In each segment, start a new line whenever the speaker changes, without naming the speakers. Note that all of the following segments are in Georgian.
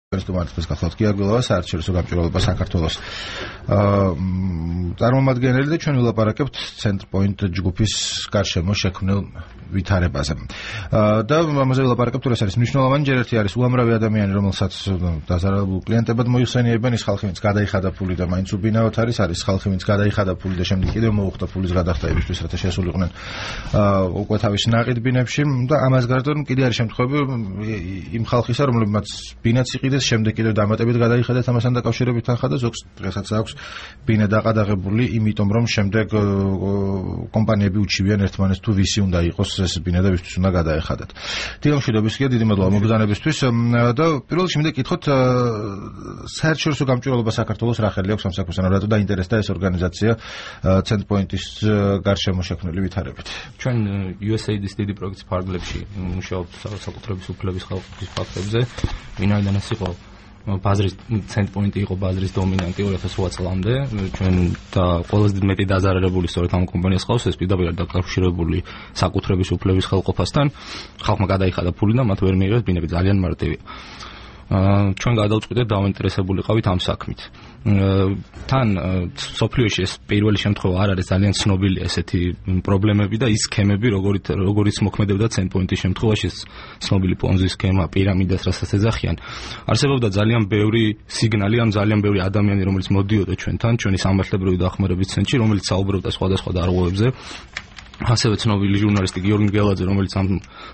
Სტუმართა გახლავთ გიაგვილოვა საერთაშორისო გამჭვირვალობა საქართველოს წარმომადგენელი და ჩვენ ვილაპარაკებთ Centerpoint ჯგუფის გარშემო შექმნილ ვითარებაზე. და ამაზე ვილაპარაკებთ, თუ ეს არის მნიშვნელოვანი, ჯერ ერთი არის უამრავი ადამიანი, რომელსაც დაზარალებულ კლიენტებად მოიხსენიებენ, ის ხალხი, ვინც გადაიხადა ფული და მაინც უბინაოდ არის ხალხი, ვინც გადაიხადა ფული და შემდეგ კიდევ მოუხდა ფულის გადახდაებისთვის, რათა შესულიყვნენ უკვე თავის ნაყიდ ბინებში და ამას გარდა კიდე არის შემთხვევები იმ ხალხისა, რომლებმაც ბინაც იყიდეს, შემდეგ კიდევ დამატებით გადაიხადათ ამასთან დაკავშირებით თანხა და ზოგს დღესაც აქვს ბინა დაყადაღებული, იმიტომ რომ შემდეგ კომპანიები უჩივიან ერთმანეთს თუ ვისი უნდა იყოს ეს ბინა და ვისთვის უნდა გადაეხადათ. დიდი მშვიდობისკენ, დიდი მადლობა მოგზაურობისთვის და პირველ რიგში მინდა გითხოთ საერთაშორისო გამჭვირვალობა საქართველოს რახელი აქვს ამ საქმესთან, რატო დაინტერესდა ეს ორგანიზაცია Centerpoint-ის გარშემო შექმნილი ვითარებით.
ჩვენ USAID-ის დიდი პროექტის ფარგლებში მუშაობთ საკუთრების უფლების ხალხის ფაქტებზე, ვინაიდან ეს იყო ბაზრის Centerpoint-ი იყო ბაზრის დომინანტი 2008 წლამდე, ჩვენ და ყველაზე მეტი დაზარალებული სწორედ ამ კომპანიას ყავს, ეს პირდაპირ დაკავშირებული საკუთრების უფლების ხელყოფასთან, ხალხმა გადაიხადა ფული და მათ ვერ მიიღეს ბინები, ძალიან მარტივია. ჩვენ გადავწყვიტეთ დავინტერესებული ყავით ამ საქმით. თან სოფლიოში ეს პირველი შემთხვევა არ არის ძალიან ცნობილი ესეთი პრობლემები და ის სქემები, როგორიც მოქმედებდა Centerpoint-ის შემთხვევაში, ცნობილი პონზი სქემა, პირამიდას, რასაც ეძახიან. არსებობდა ძალიან ბევრი სიგნალი, ძალიან ბევრი ადამიანი, რომელიც მოდიოდა ჩვენთან, ჩვენი სამართლებრივი დახმარების ცენტრში, რომელიც საუბრობდა სხვადასხვა დარღვევებზე. ასევე ცნობილი ჟურნალისტი გიორგი გელაძე, რომელიც ამ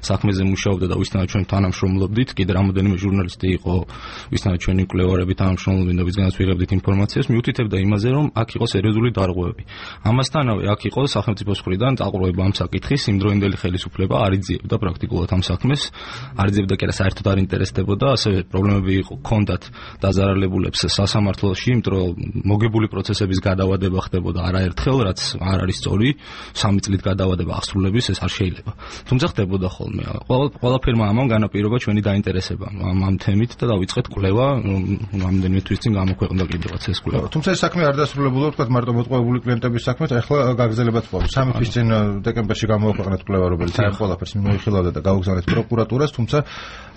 საქმეზე მუშაობდა და ვისთანაც ჩვენ თანამშრომლობდით, კიდე რამოდენიმე ჟურნალისტი იყო, ვისთანაც ჩვენი მკვლევარები თანამშრომლობდნენ და ვისგანაც ვიღებდით ინფორმაციას, მიუთითებდა იმაზე, რომ აქ იყო სერიოზული დარღვევები. ამასთანავე აქ იყო სახელმწიფოს მხრიდან დაყრდნობა ამ საკითხის, იმდროინდელი ხელისუფლება არ იძიებდა პრაქტიკულად ამ საქმეს, არ იძიებდა კი არა საერთოდ არ ინტერესდებოდა, ასევე პრობლემები ჰქონდათ დაზარალებულებს სასამართლოში, იმიტომ რომ მოგებული პროცესების გადავადება ხდებოდა არაერთხელ, რაც არ არის სწორი, 3 წლით გადავადება აღსრულების ეს არ შეიძლება. თუმცა ხდებოდა ხოლმე. ყველაფერმა ამან განაპირობა ჩვენი დაინტერესება ამ თემით და დავიწყეთ კვლევა, რამდენიმე თვის წინ გამოქვეყნდა კიდევაც ეს კვლევა.
თუმცა ეს საქმე არ დასრულებულა, თქვა მარტო მოტყუებული კლიენტების საქმეთ, ახლა გაგრძელებაც ყავს. 3 თვის წინ დეკემბერში გამოქვეყნეთ კვლევა, რომელიც აი ყველაფერს მოიხილავდა და გაუგზავნეთ პროკურატურას, თუმცა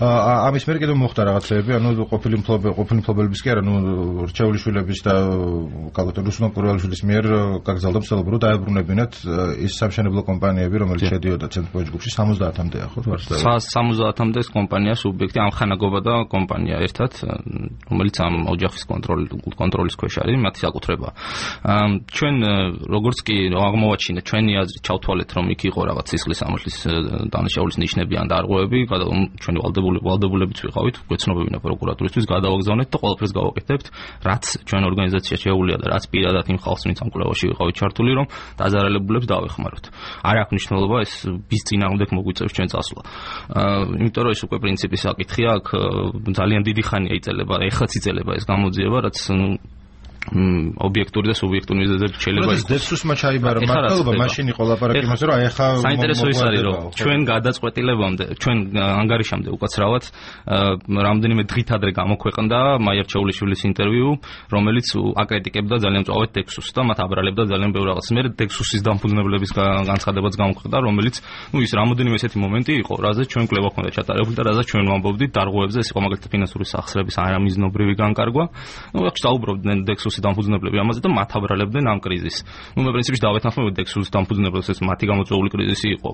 ამის მერე კიდევ მოხდა რაღაცეები, ანუ ყოფილი მფლობელების კი არა, რჩეული შვილების და კალოთე რუსულან კურველიშვილის მიერ გაგზავნა მსელობრო დაებრუნებინათ ის სამშენებლო კომპანიები, რომელიც შედიოდა Centerpoint ჯგუფში 70-მდე ახლა ვარსკვლავი.
70-მდე კომპანია სუბიექტი, ამხანაგობა და კომპანია ერთად, რომელიც ამ ოჯახის კონტროლის ქვეშ არის, მათი საკუთრება. ჩვენ როგორც კი აღმოვაჩინეთ, ჩვენი აზრით ჩავთვალეთ, რომ იქ იყო რაღაც სისხლის სამართლის დანაშაულის ნიშნები ან დარღვევები, ჩვენი ვალდებულებიც ვიყავით, გვეცნობებინა პროკურატურისთვის, გადავაგზავნეთ და ყველაფერს გავაკეთებთ, რაც ჩვენ ორგანიზაციაში შეუძლია და რაც პირადად იმ ხალხს, ვინც ამ კვლევაში ვიყავით ჩართული, რომ დაზარალებულებს დავეხმაროთ. არ აქვს მნიშვნელობა ეს ვის წინააღმდეგ მოგვიწევს ჩვენ წასვლა. იმიტომ რომ ეს უკვე პრინციპის საკითხია, აქ ძალიან დიდი ხანია იწელება, ეხლაც იწელება ეს გამოძიება, რაც ობიექტური და სუბიექტური მიზეზებით შეიძლება
იყოს. დექსუსმა ჩაიბარა მართლობა, მაშინ იყო ლაპარაკი იმაზე, რომ აი ახლა
საინტერესო ის არის, რომ ჩვენ გადაწყვეტილებამდე, ჩვენ ანგარიშამდე უკაცრავად რამდენიმე დღით ადრე გამოქვეყნდა მაიარ ჩეულიშვილის ინტერვიუ, რომელიც აკრიტიკებდა ძალიან მწვავედ დექსუსს და მათ აბრალებდა ძალიან ბევრ რაღაცას. მე დექსუსის დამფუძნებლების განცხადებაც გამოქვეყნდა, რომელიც ის რამოდენიმე ესეთი მომენტი იყო, რაზეც ჩვენ კვლევა ჰქონდა ჩატარებული და რაზეც ჩვენ ვამბობდით დარღვევებზე, ეს იყო მაგალითად ფინანსური სახსრების არამიზნობრივი განკარგვა. აქ საუბრობდნენ დექსუსის დამფუძნებლები ამაზე და მათ აბრალებდნენ ამ კრიზისს. მე პრინციპში დავეთანხმებოდი დექსუსის დამფუძნებლებს, ეს მათი გამოწვეული კრიზისი იყო.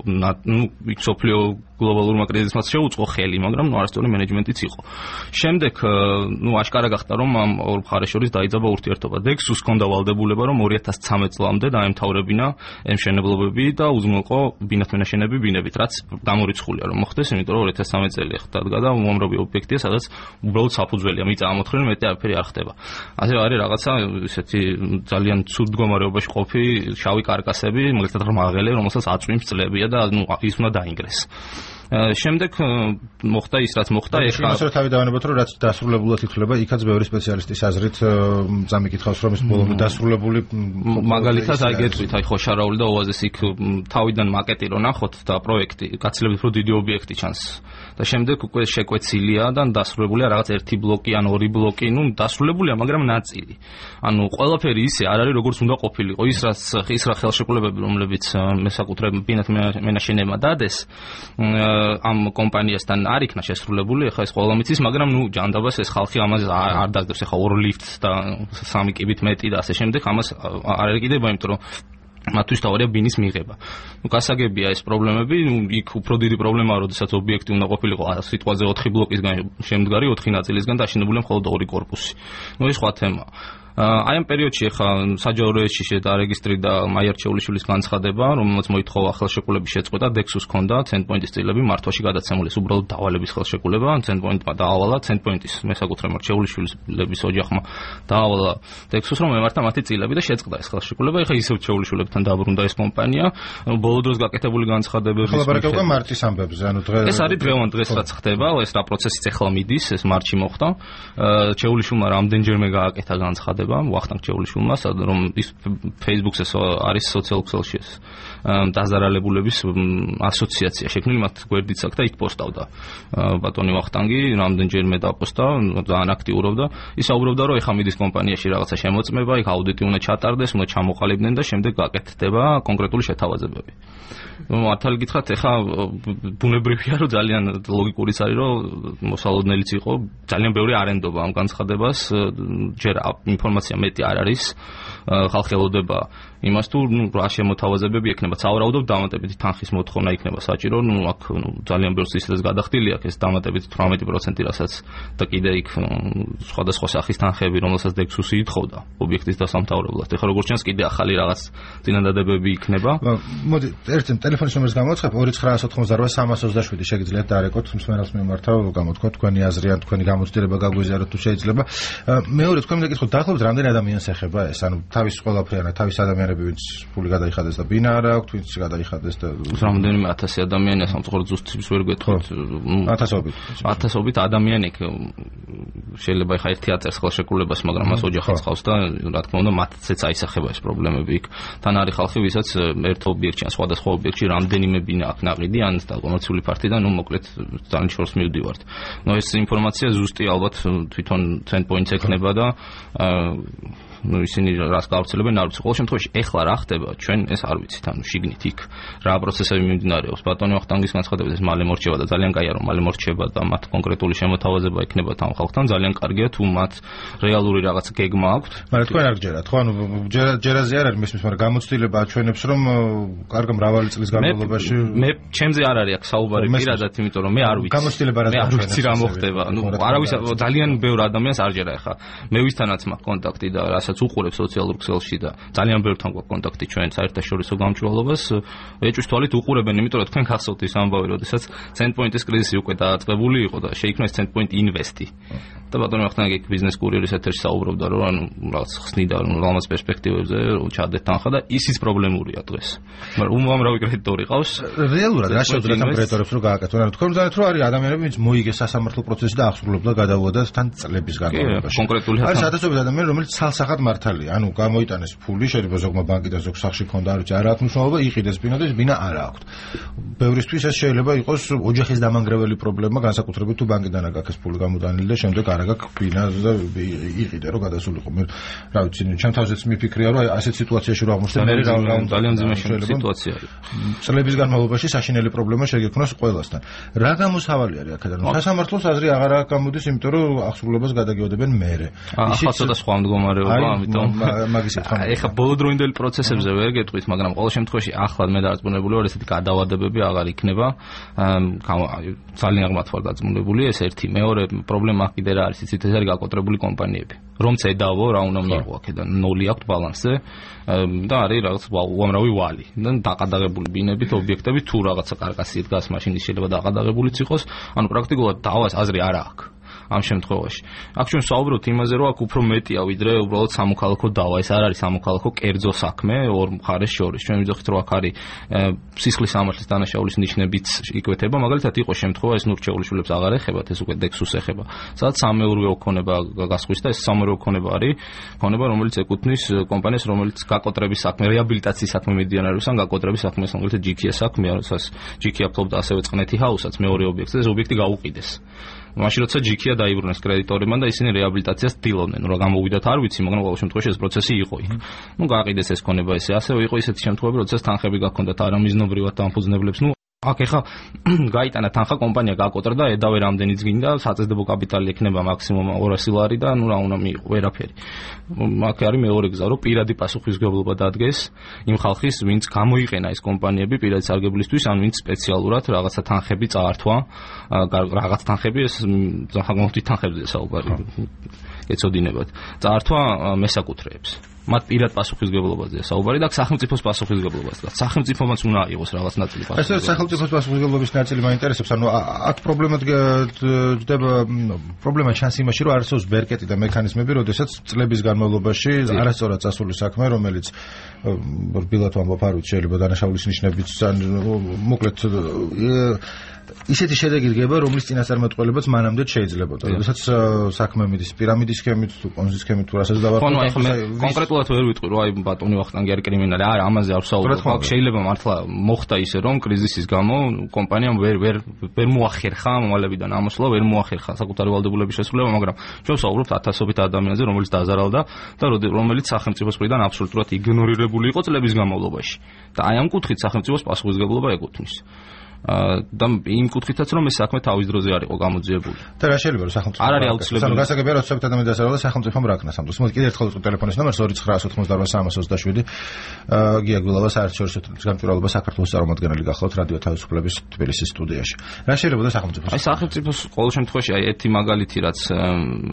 სოფლიო გლობალურმა კრიზისმაც შეუწყო ხელი, მაგრამ არასწორი მენეჯმენტიც იყო. შემდეგ აშკარა გახდა, რომ ამ ორ მხარეს შორის დაიძაბა ურთიერთობა. დექსუსს ჰქონდა ვალდებულება, რომ 2013 წლამდე დაემთავრებინა ემშენებლობები და უზრუნველყო ბინათმენაშენები ბინებით, რაც გამორიცხულია რომ მოხდეს, იმიტომ რომ 2013 წელი ხდება და უამრავი ობიექტია, სადაც უბრალოდ საფუძველია, მიწა ამოთხრილი, მეტი არაფერი არ ხდება. ასე არის რაღაცა ისეთი ძალიან ცუდ მდგომარეობაში ყოფი შავი კარკასები, მაგალითად რმაღელი, რომელსაც აწვიმს წლებია და ის უნდა დაინგრეს. შემდეგ მოხდა ის, რაც მოხდა,
ეხლა იმას რა თავი დავანებოთ, რომ რაც დასრულებულად ითვლება, იქაც ბევრი სპეციალისტის აზრით წამიკითხავს, რომ ეს ბოლომდე დასრულებული
მაგალითად აი გეტყვით, აი ხოშარაული და ოაზის იქ თავიდან მაკეტი რო ნახოთ და პროექტი, გაცილებით უფრო დიდი ობიექტი ჩანს. და შემდეგ უკვე შეკვეცილია და დასრულებულია რაღაც ერთი ბლოკი ან ორი ბლოკი, დასრულებულია, მაგრამ ნაწილი. ანუ ყველაფერი ისე არ არის, როგორც უნდა ყოფილიყო. ის რა ხელშეკრულებები, რომლებიც მესაკუთრებინათ მენაშენებმა დადეს, ამ კომპანიასთან არ იქნა შესრულებული, ეხლა ეს ყველა მიცის, მაგრამ ჯანდაბას ეს ხალხი ამას არ დაძდებს, ეხლა 2 ლიფტს და 3 კიბით მეტი და ასე შემდეგ, ამას არ ეკიდება, იმიტომ რომ მათთვის თავარია ბინის მიღება. გასაგებია ეს პრობლემები, იქ უფრო დიდი პრობლემაა, როდესაც ობიექტი უნდა ყოფილიყო სიტყვაზე 4 ბლოკისგან შემდგარი 4 ნაწილისგან და აშენებულია მხოლოდ 2 კორპუსი. ეს სხვა თემაა. აი ამ პერიოდში ახლა საჯარო რეესტრში შედა რეგისტრი და მაიარ ჩეულიშვილის განცხადება, რომელმაც მოითხოვა ხელშეკრულების შეწყვეტა, დექსუს ჰქონდა ცენტპოინტის წილები მართვაში გადაცემული, უბრალოდ დავალების ხელშეკრულება, ცენტპოინტმა დაავალა, ცენტპოინტის მესაკუთრებმა ჩეულიშვილის ოჯახმა დაავალა დექსუს, რომ ემართა მათი წილები და შეწყდა ეს ხელშეკრულება. ეხლა ისევ ჩეულიშვილებთან დაბრუნდა ეს კომპანია, ბოლო დროს გაკეთებული განცხადებების
ხალხებმა მარტის ამბებზე, ანუ
ეს არის დღევანდ დღეს რაც ხდება, ეს რა პროცესიც ახლა მიდის, ეს მარტში მოხდა. ჩეულიშვილმა რამდენჯერმე გააკეთა განცხადება ვახტანგ ჩეულიშვილმა, რომ ის Facebook-ზე არის სოციალურ ქსელში ეს დაზარალებულების ასოციაცია შექმნილი, მათ გვერდიც აქვს და იქ პოსტავდა ბატონი ვახტანგი, რამდენჯერმე დაპოსტა, ძალიან აქტიურობდა. ის საუბრობდა, რომ ეხა მიდის კომპანიაში რაღაცა შემოწმება, იქ აუდიტი უნდა ჩატარდეს, უნდა ჩამოყალიბდნენ და შემდეგ გაკეთდება კონკრეტული შეთავაზებები. მართალი გითხრათ, ეხა ბუნებრივია, რომ ძალიან ლოგიკურიც არის, რომ მოსალოდნელიც იყო, ძალიან ბევრი არენდობა ამ განცხადებას, ჯერ ინფორმაცია მეტი არ არის, ხალხი ელოდება იმას თუ რა შემოთავაზებები ექნება, სავარაუდოდ დამატებითი თანხის მოთხოვნა იქნება საჭირო, აქ ძალიან ბევრს ისედაც გადახდილი აქვს ეს დამატებითი 18%, რასაც და კიდე იქ სხვადასხვა სახის თანხები, რომელსაც დექსუსი ითხოვდა ობიექტის დასამთავრებლად. ეხლა როგორც ჩანს, კიდე ახალი რაღაც წინადადებები იქნება.
მოდი, ერთი ტელეფონის ნომერს გამოცხებ 2988-327 შეგიძლიათ დარეკოთ, მსმენელს მიმართავ, გამოთქვა თქვენი აზრი ან თქვენი გამოცდილება გაგვიზიაროთ თუ შეიძლება. მეორე თქვენ მინდა გითხოთ, დაახლოებით რამდენი ადამიანს ეხება ეს, ანუ თავის ყველაფრიანად, თავის ადამიანები ვინც ფული გადაიხადეს და ბინა არ აქვს, ვინც გადაიხადეს და
რამდენიმე 1000 ადამიანია, სამწუხაროდ ზუსტად ვერ გეტყვით. 1000-ობით ადამიანი შეიძლება ეხა ერთი აწერს ხელშეკრულებას, მაგრამ მას ოჯახიც ყავს და რა თქმა უნდა მათცეც აისახება ეს პრობლემები იქ. თან არის ხალხი, ვისაც ერთ ობიექტში ან სხვადასხვა ობიექტში რამდენიმე ბინა აქვს ნაყიდი, ან კომერციული ფართი და მოკლედ ძალიან შორს მივდივართ. ეს ინფორმაცია ზუსტი ალბათ თვითონ ცენტპოინტს ექნება და ისინი რას გავრცელებენ არ ვიცი. ყოველ შემთხვევაში ეხლა რა ხდება, ჩვენ ეს არ ვიცით, ანუ შიგნით იქ რა პროცესები მიმდინარეობს. ბატონი ვახტანგის განცხადებით ეს მალე მორჩება და ძალიან კაია რომ მალე მორჩება და მათ კონკრეტული შემოთავაზება ექნება თან ხალხთან, ძალიან კარგია თუ მათ რეალური რაღაც გეგმა აქვთ.
მაგრამ თქვენ არ გჯერათ, ხო? ანუ ჯერაზე არ არის მისმის, მაგრამ გამოცდილება აჩვენებს რომ კარგი მრავალი წლის განმავლობაში
მე ჩემზე არ არის აქ საუბარი პირადად, იმიტომ რომ მე არ ვიცი.
გამოცდილება რა
ვიცი რა მოხდება. ნუ არავის ძალიან ბევრ ადამიანს არ ჯერა ეხა. მე ვისთანაც მაქვს კონტაქტი და რასაც უყურებს სოციალურ ქსელში და ძალიან ბევრთან გვაქვს კონტაქტი ჩვენ საერთაშორისო გამჭვირვალობას, ეჭვის თვალით უყურებენ, იმიტომ რომ თქვენ გახსოვთ ის ამბავი, როდესაც ცენტპოინტის კრიზისი უკვე დაწყებული იყო და შეიქმნა ეს ცენტპოინტ ინვესტი. და ბატონი ვახტანგი ბიზნეს კურიერის ეთერში საუბრობდა, რომ ანუ რაღაც ხსნიდა რაღაც პერსპექტივებზე ჩადეთ თანხა და ისიც პრობლემურია დღეს. მაგრამ უამრავი კრედიტორი ყავს.
რეალურად რა შეუძლიათ ამ კრედიტორებს რომ გააკეთონ? ანუ თქვენ მგონით რომ არის ადამიანები, ვინც მოიგეს სასამართლო პროცესი და აღსრულებდა გადაუადათ თან წლების განმავლობაში.
კონკრეტული
არის ათასობით ადამიანი, რომელიც ცალსახად მართალია. ანუ გამოიტანეს ფული, შეიძლება ზოგმა ბანკიდან ზოგ სახში ქონდა, არ ვიცი, არ აქვს მნიშვნელობა, იყიდეს ბინა და ბინა არ აქვს. ბევრისთვის ეს შეიძლება იყოს ოჯახის დამანგრეველი პრობლემა, განსაკუთრებით თუ ბანკიდან არ გაქვს ფული გამოტანილი და შემდეგ არ აქვს ბინა და იყიდე რომ გადასულიყო. მე რა ვიცი, ჩემ თავზეც მიფიქრია, რომ ასეთ სიტუაციაში რომ აღმოჩნდა მე
ძალიან ძიმეშენ სიტუაცია.
წლების განმავლობაში საშინელი პრობლემა შეგექმნას ყველასთან. რა გამოსავალი არის აქედან? სასამართლოს აზრი აღარ გამოდის, იმიტომ რომ აღსრულებას გადაგეოდებენ მერე.
ახლა ცოტა სხვა მდგომარეობა, ამიტომ
მაგის ეთქმა.
ეხა ბოლოდროინდელი პროცესებზე ვერ გეტყვით, მაგრამ ყოველ შემთხვევაში ახლად მე დარწმუნებული ვარ, ესეთი გადავადებები აღარ იქნება. ძალიან ღმრთ ვარ დარწმუნებული, ეს ერთი. მეორე პრობლემა კიდე რა არის, იცით, ეს არის გაკოტრებული კომპანიები. რომ ცედავო, რა უნდა მიიღო აქედან, ნული აქვს ბალანსზე და არის რაღაც უამრავი ვალი. და დაყადაღებული ბინებით, ობიექტებით თუ რაღაცა კარკასი დგას, მაშინ შეიძლება დაყადაღებულიც იყოს. ანუ პრაქტიკულად დავას აზრი არ აქვს. ამ შემთხვევაში. აქ ჩვენ საუბრობთ იმაზე, რომ აქ უფრო მეტია ვიდრე უბრალოდ სამოქალაქო დავა. ეს არ არის სამოქალაქო კერძო საქმე ორ მხარეს შორის. ჩვენ ვიძახით, რომ აქ არის სისხლის სამართლის დანაშაულის ნიშნებიც იკვეთება. მაგალითად, იყო შემთხვევა, ეს ნურჩეულიშვილებს აღარ ეხებათ, ეს უკვე დექსუს ეხება. სადაც სამეურვეო ოქონება გასხვის და ეს სამეურვეო ოქონება არის ოქონება, რომელიც ეკუთვნის კომპანიას, რომელიც გაკოტრების საქმე, რეაბილიტაციის საქმე მედიანარებს ან გაკოტრების საქმეს, მაგალითად ჯიქია საქმეა, რასაც ჯიქია ფლობდა ასევე წყნეთი ჰაუსაც მეორე ობიექტზე, ეს ობიექტი გაუყიდეს. მაშინ როცა ჯიქია დაიბრუნეს კრედიტორებმა და ისინი რეაბილიტაციას ცდილობდნენ, რა გამოვიდათ არ ვიცი, მაგრამ ყოველ შემთხვევაში ეს პროცესი იყო იქ. ნუ გააყიდეს ეს ქონება ესე, ასევე იყო ისეთი შემთხვევები, როდესაც თანხები გაქონდათ არამიზნობრივად დამფუძნებლებს, ნუ აქ ეხა გაიტანა თანხა კომპანია გაკოტრა ედავე რამდენიც გინდა საწესდებო კაპიტალი ექნება მაქსიმუმ 200 ლარი და ნუ რა უნდა მიიღო ვერაფერი. აქ არის მეორე გზა რომ პირადი პასუხისმგებლობა დადგეს იმ ხალხის ვინც გამოიყენა ეს კომპანიები პირადი სარგებლისთვის ან ვინც სპეციალურად რაღაცა თანხები წაართვა რაღაც თანხები ეს სახელმწიფო თანხებზე საუბარი ეცოდინებათ წაართვა მესაკუთრეებს მათ პირად პასუხისმგებლობაზეა საუბარი და სახელმწიფოს პასუხისმგებლობაზეა. სახელმწიფომაც უნდა აიღოს რაღაც ნაწილი პასუხისმგებლობა. ეს სახელმწიფოს პასუხისმგებლობის ნაწილი მაინტერესებს, ანუ აქ პრობლემა ჯდება პრობლემა ჩანს იმაში, რომ არსებობს ბერკეტი და მექანიზმები, როდესაც წლების განმავლობაში არასწორად წასული საქმე, რომელიც რბილად ვამბობ არ ვიცი შეიძლება დანაშაულის ნიშნებით ან მოკლედ ისეთი შედეგი დგება, რომლის წინასწარმეტყველებაც მანამდე შეიძლებოდა. როდესაც საქმე მიდის პირამიდის სქემით, თუ პონზის სქემით, თუ რასაც დავარქვით. კონკრეტულად ვერ ვიტყვი, რომ აი ბატონი ვახტანგი არის კრიმინალი. არა, ამაზე არ ვსაუბრობ. აქ შეიძლება მართლა მოხდა ისე, რომ კრიზისის გამო კომპანიამ ვერ მოახერხა მომალებიდან ამოსვლა, ვერ მოახერხა საკუთარი ვალდებულების შესრულება, მაგრამ ჩვენ ვსაუბრობთ ათასობით ადამიანზე, რომელიც დაზარალდა და რომელიც სახელმწიფოს მხრიდან აბსოლუტურად იგნორირებული იყო წლების განმავლობაში. და აი ამ კუთხით სახელმწიფოს პასუხისმგებლობა ეკუთვნის. და იმ კუთხითაც რომ ეს საქმე თავის დროზე არ იყო გამოძიებული.
და რა შეიძლება რომ სახელმწიფო
არ არის აუცილებელი.
ანუ გასაგებია რომ ცოტა ადამიანი დასარალდა სახელმწიფომ რა ქნა სამწუხაროდ. მოდი კიდევ ერთხელ ვიტყვი ტელეფონის ნომერს 2988327. გია გულავა საერთაშორისო გამჭვირვალობა საქართველოს წარმომადგენელი გახლავთ რადიო თავისუფლების თბილისის სტუდიაში. რა შეიძლება და სახელმწიფოს?
აი სახელმწიფოს ყოველ შემთხვევაში აი ერთი მაგალითი რაც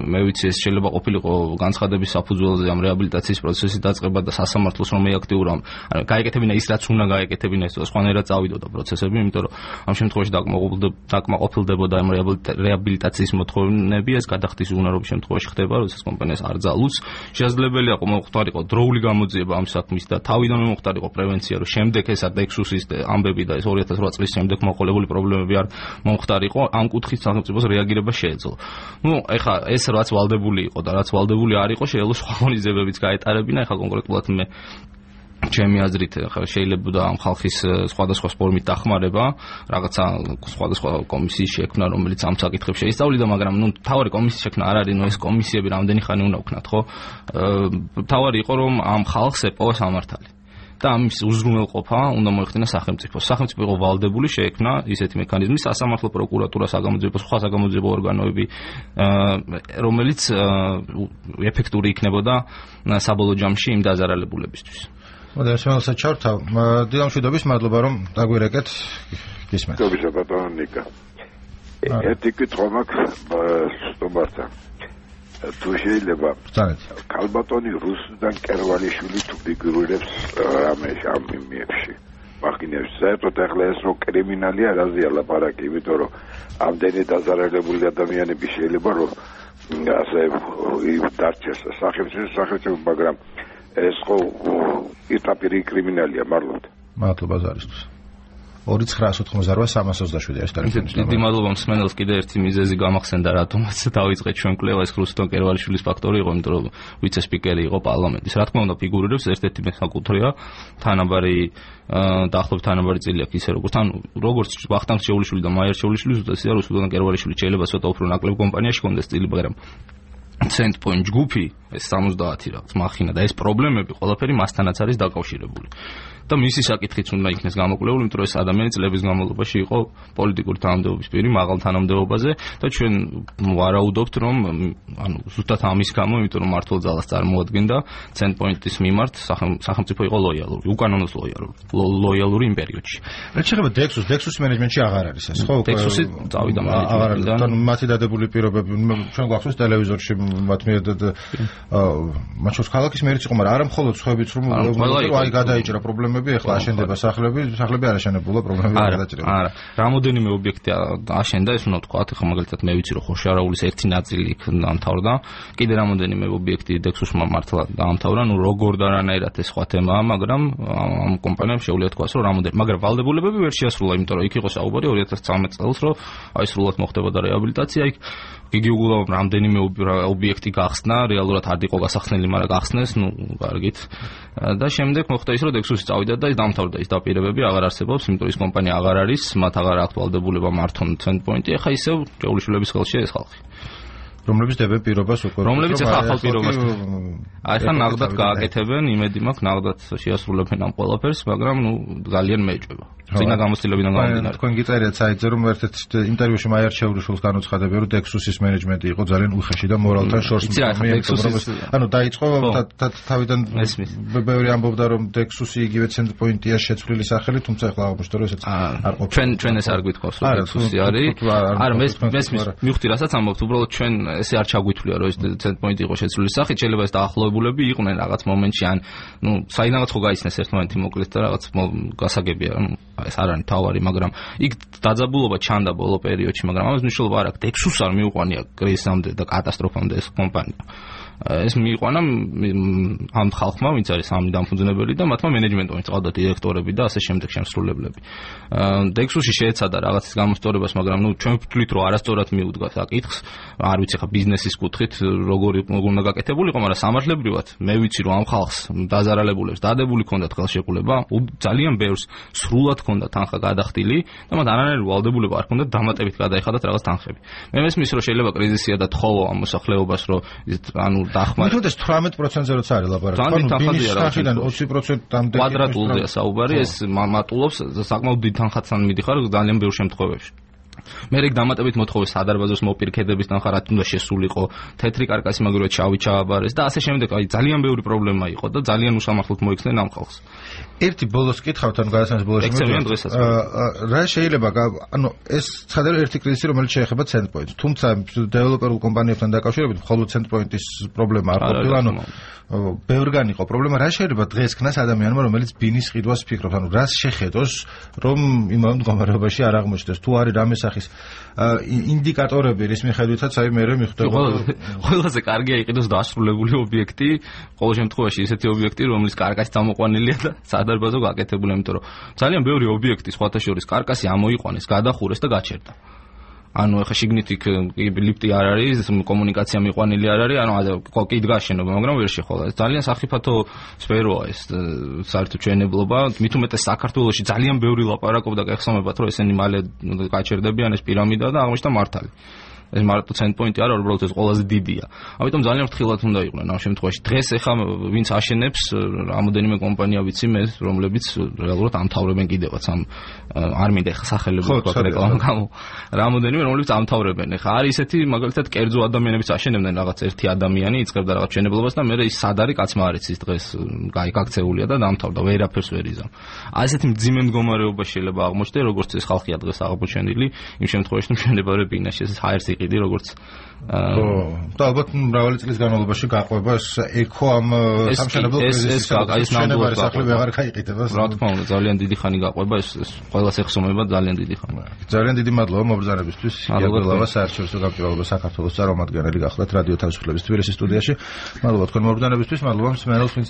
მე ვიცი ეს შეიძლება ყოფილიყო განცხადების საფუძველზე ამ რეაბილიტაციის პროცესის დაწყება და სასამართლოს რომ ეაქტიურა. ანუ გაეკეთებინა ის რაც უნდა გაეკეთებინა ეს სხვანაირად წავიდოდა პროცესები, იმიტომ რომ ამ შემთხვევაში დაკმაყოფილდებოდა ამ რეაბილიტაციის მოთხოვნები, ეს გადახდის უნარობის შემთხვევაში ხდება, როდესაც კომპანიას არ ძალუძს. შესაძლებელია მოხდარიყო დროული გამოძიება ამ საქმის და თავიდანვე მოხდარიყო პრევენცია, რომ შემდეგ ეს დექსუსის ამბები და ეს 2008 წლის შემდეგ მოყოლებული პრობლემები არ მომხდარიყო, ამ კუთხით სახელმწიფოს რეაგირება შეეძლო. ნუ ეხა ეს რაც ვალდებული იყო და რაც ვალდებული არ იყო, შეიძლება სხვა ღონისძიებებიც გაეტარებინა, ეხა კონკრეტულად მე ჩემი აზრით შეიძლება ამ ხალხის სხვადასხვა ფორმით დახმარება, რაღაცა სხვადასხვა კომისიის შექმნა, რომელიც ამ საკითხებს შეისწავლიდა, მაგრამ ნუ თავარი კომისიის შექმნა არ არის, ნუ ეს კომისიები რამდენი ხანი უნდა ვქნათ, ხო? თავარი იყო რომ ამ ხალხს ეპოვა სამართალი. და ამის უზრუნველყოფა უნდა მოეხდინა სახელმწიფოს. სახელმწიფო იყო ვალდებული შეექმნა ისეთი მექანიზმი, სასამართლო პროკურატურა, საგამოძიებო, სხვა საგამოძიებო ორგანოები, რომელიც ეფექტური იქნებოდა საბოლოო ჯამში იმ დაზარალებულებისთვის.
მოდი შემოალსა ჩავთავ. დილამშვიდობის, მადლობა რომ დაგვირეკეთ. გისმენთ.
მადლობა ბატონო ნიკა. ერთი კითხვა მაქვს სტუმართან. თუ შეიძლება ქალბატონი რუსუდან კერვალიშვილი თუ ფიგურირებს რამე ამ მიმებში. მაგინებს საერთოდ ახლა ეს რო კრიმინალია, რაზეა ლაპარაკი, იმიტომ რომ ამდენი დაზარალებული ადამიანები შეიძლება რომ ასე დარჩეს სახელმწიფო, მაგრამ ეს ხო იტაპირი კრიმინალია მართლაც.
მადლობა ზარისთვის. 2988327 ეს ტელეფონის ნომერი.
დიდი მადლობა მსმენელს კიდე ერთი მიზეზი გამახსენდა რატომაც დავიწყეთ ჩვენ კვლევა ეს რუსუდან კერვალიშვილის ფაქტორი იყო, იმიტომ რომ ვიცე-სპიკერი იყო პარლამენტის. რა თქმა უნდა ფიგურირებს ერთ-ერთი მესაკუთრეა თანაბარი დაახლოებით თანაბარი წილი აქვს ისე როგორც ვახტანგ შეულიშვილი და მაიარ შეულიშვილი ზუსტად რუსუდან კერვალიშვილი შეიძლება ცოტა უფრო ნაკლებ კომპანიაში კონდეს წილი, მაგრამ Centpoint ჯგუფი ეს 70 რაღაც მახინა და ეს პრობლემები ყველაფერი მასთანაც არის დაკავშირებული. და მისი საკითხიც უნდა იქნეს გამოკვლეული, იმიტომ რომ ეს ადამიანი წლების განმავლობაში იყო პოლიტიკური თანამდებობის პირი მაღალ თანამდებობაზე და ჩვენ ვარაუდობთ, რომ ანუ ზუსტად ამის გამო, იმიტომ რომ მართლ ძალას წარმოადგენდა Centpoint-ის მიმართ სახელმწიფო იყო ლოიალური, უკანონოს ლოიალური იმ პერიოდში.
რა შეიძლება Dexus მენეჯმენტში აღარ არის ეს, ხო?
Dexus-ი წავიდა
მენეჯმენტიდან. ანუ მათი დადებული პირობები ჩვენ გვახსოვს ტელევიზორში მათ მიერ მათ შორის ქალაქის მერიც იყო, მაგრამ არა მხოლოდ სხვაებიც რომ აი გადაიჭრა პრობლემები. ეხლა აშენდება სახლები არ აშენებულა პრობლემები არ გადაჭრება.
არა, რამოდენიმე ობიექტი აშენდა, ეს უნდა თქვა, ეხლა მაგალითად მე ვიცი რომ ხოშარაულის ერთი ნაწილი იქ დაამთავრდა, კიდე რამოდენიმე ობიექტი Dexus-მა მართლა დაამთავრა, ნუ როგორ და რანაირად ეს სხვა თემაა, მაგრამ ამ კომპანიამ შეუძლია თქვას რომ რამოდენიმე, მაგრამ ვალდებულებები ვერ შეასრულა, იმიტომ რომ იქ იყო საუბარი 2013 წელს, რომ აი სრულად მოხდებოდა რეაბილიტაცია იქ. იგი უგულავ რამდენიმე ობიექტი გახსნა, რეალურად არ იყო გასახსნელი, მაგრამ გახსნეს, ნუ კარგით. და შემდეგ მოხდა ის, რომ Dexus-ი წავიდა და ის დამთავრდა, ის დაპირებები აღარ არსებობს, იმიტომ რომ ის კომპანია აღარ არის, მათ აღარ აქვთ ვალდებულება მართონ Centpoint-ი, ახლა ისევ ჯეულიშვილების ხელშია ეს ხალხი.
რომლებიც დებენ პირობას უკვე.
რომლებიც ახლა ახალ პირობას. აი ხან ნაღდად გააკეთებენ, იმედი მაქვს ნაღდად შეასრულებენ ამ ყველაფერს, მაგრამ ნუ ძალიან მეჭვება. წინა გამოცდილებიდან გამომდინარე.
თქვენ გიწერიათ საიტზე რომ ერთ-ერთ ინტერვიუში მაიარ ჩევრიშვილს განუცხადებია რომ Dexus-ის მენეჯმენტი იყო ძალიან უხეში და მორალთან შორს ანუ დაიწყო თავიდან ბევრი ამბობდა რომ Dexus-ი იგივე Centpoint-ია შეცვლილი სახელი, თუმცა ახლა აღმოჩნდა რომ ესეც არ ყოფილა. ჩვენ
ეს არ გვითხოვს რომ Dexus-ი არის. არა, მივხვდი რასაც ამბობთ, უბრალოდ ჩვენ ესე არ ჩაგვითვლია რომ ეს Centpoint იყო შეცვლილი სახით, შეიძლება ეს დაახლოებულები იყვნენ რაღაც მომენტში ან საიდანაც ხო გაიცნეს ერთ მომენტი მოკლედ და რაღაც გასაგებია, ეს არ არის თავარი, მაგრამ იქ დაძაბულობა ჩანდა ბოლო პერიოდში, მაგრამ ამას მნიშვნელობა არ აქვს. Dexus-ს არ მიუყვანია კრიზისამდე და კატასტროფამდე ეს კომპანია. ეს მიიყვანა ამ ხალხმა, ვინც არის სამი დამფუძნებელი და მათმა მენეჯმენტმა, ვინც ყავდა დირექტორები და ასე შემდეგ შემსრულებლები. Dexus-ში შეეცადა რაღაცის გამოსწორებას, მაგრამ ჩვენ ვთვლით, რომ არასწორად მიუდგა საკითხს. არ ვიცი ხა ბიზნესის კუთხით როგორი უნდა გაკეთებულიყო, მაგრამ სამართლებრივად მე ვიცი, რომ ამ ხალხს დაზარალებულებს დადებული ჰქონდათ ხელშეკრულება, ძალიან ბევრს სრულად ჰქონდათ თანხა გადახდილი და მათ არანაირი ვალდებულება არ ჰქონდათ დამატებით გადაეხადათ რაღაც თანხები. მე მესმის, რომ შეიძლება კრიზისია და თხოვო ამ მოსახლეობას, რომ ანუ
დახმარება. თუნდაც 18%-ზე როცა არის ლაპარაკი,
თანხიდან
20%-მდე
კვადრატულზეა საუბარი, ეს მატულობს საკმაოდ დიდ თანხათთან მიდიხარ ძალიან ბევრ შემთხვევებში. მე რეგ დამატებით მოთხოვეს სადარბაზოს მოპირქედების თანხა რა თუნდა შესულიყო, თეთრი კარკასი მაგალითად შავი ჩააბარეს და ასე შემდეგ, აი ძალიან ბევრი პრობლემა იყო და ძალიან უსამართლოდ მოიქცნენ ამ ხალხს.
ერთი ბოლოს კითხავთ, ანუ გადასახადის ბოლოს რა შეიძლება, ანუ ეს ცხადია ერთი კრიზისი, რომელიც შეეხება Centpoint-ს, თუმცა დეველოპერულ კომპანიებთან დაკავშირებით მხოლოდ Centpoint-ის პრობლემა არ ყოფილა, ანუ ბევრგან იყო პრობლემა. რა შეიძლება დღეს ქნას ადამიანმა, რომელიც ბინის ყიდვას ფიქრობს, ანუ რას შეხედოს, რომ იმავე მდგომარეობაში არ აღმოჩნდეს, თუ არის რამე სახის ინდიკატორები, რის მიხედვითაც აი მე მიხვდება
ყველაზე კარგია იყიდოს დასრულებული ობიექტი, ყოველ შემთხვევაში ისეთი ობიექტი, რომელიც კარკასით ამოყვანილია და სადარბაზო გაკეთებული, იმიტომ რომ ძალიან ბევრი ობიექტი სხვათა შორის კარკასი ამოიყვანეს, გადახურეს და გაჩერდა. ანუ ეხა შიგნით იქ ლიფტი არ არის, კომუნიკაცია მიყვანილი არ არის, ანუ კიდ გაშენობა, მაგრამ ვერ შეხვალა. ძალიან სახიფათო სფეროა ეს საერთო ჩვენებლობა, მით უმეტეს საქართველოში ძალიან ბევრი ლაპარაკობდა გეხსოვებათ, რომ ესენი მალე გაჩერდებიან, ეს პირამიდა და აღმოჩნდა მართალი. ეს მარტო Centpoint-ი არა, უბრალოდ ეს ყველაზე დიდია. ამიტომ ძალიან ფრთხილად უნდა იყვნენ ამ შემთხვევაში. დღეს ეხა ვინც აშენებს, რამოდენიმე კომპანია ვიცი მე, რომლებიც რეალურად ამთავრებენ კიდევაც ამ არ მინდა ეხა სახელები ვთქვა რეკლამა გამო. რამოდენიმე რომლებიც ამთავრებენ. ეხა არის ესეთი მაგალითად კერძო ადამიანებიც აშენებდნენ რაღაც ერთი ადამიანი, იწყებდა რაღაც შენებლობას და მე ის სად არის კაცმა არ იცის დღეს გაიქაქცეულია და დამთავრდა, ვერაფერს ვერ იზამ. აი ესეთი მძიმე მდგომარეობა შეიძლება აღმოჩნდეს, როგორც ეს ხალხია დღეს აღმოჩენილი, იმ შემთხვევაში რომ მშენებარე ბინაში ეს ჰაერს იყიდი როგორც
და ალბათ მრავალი წლის განმავლობაში გაყვება ეკო ამ სამშენებლო კრიზისის შენებარი სახლი ვეღარ გაიყიდება.
რა თქმა უნდა, ძალიან დიდი ხანი გაყვება, ეს ყველას ეხსომება ძალიან დიდი ხანი.
ძალიან დიდი მადლობა მობრძანებისთვის. გიაგველავა საერთაშორისო გამჭირვალობა საქართველოს წარმომადგენელი გახლდათ რადიო თავისუფლების თბილისის სტუდიაში. მადლობა თქვენ მობრძანებისთვის, მადლობა მსმენელს, ვინც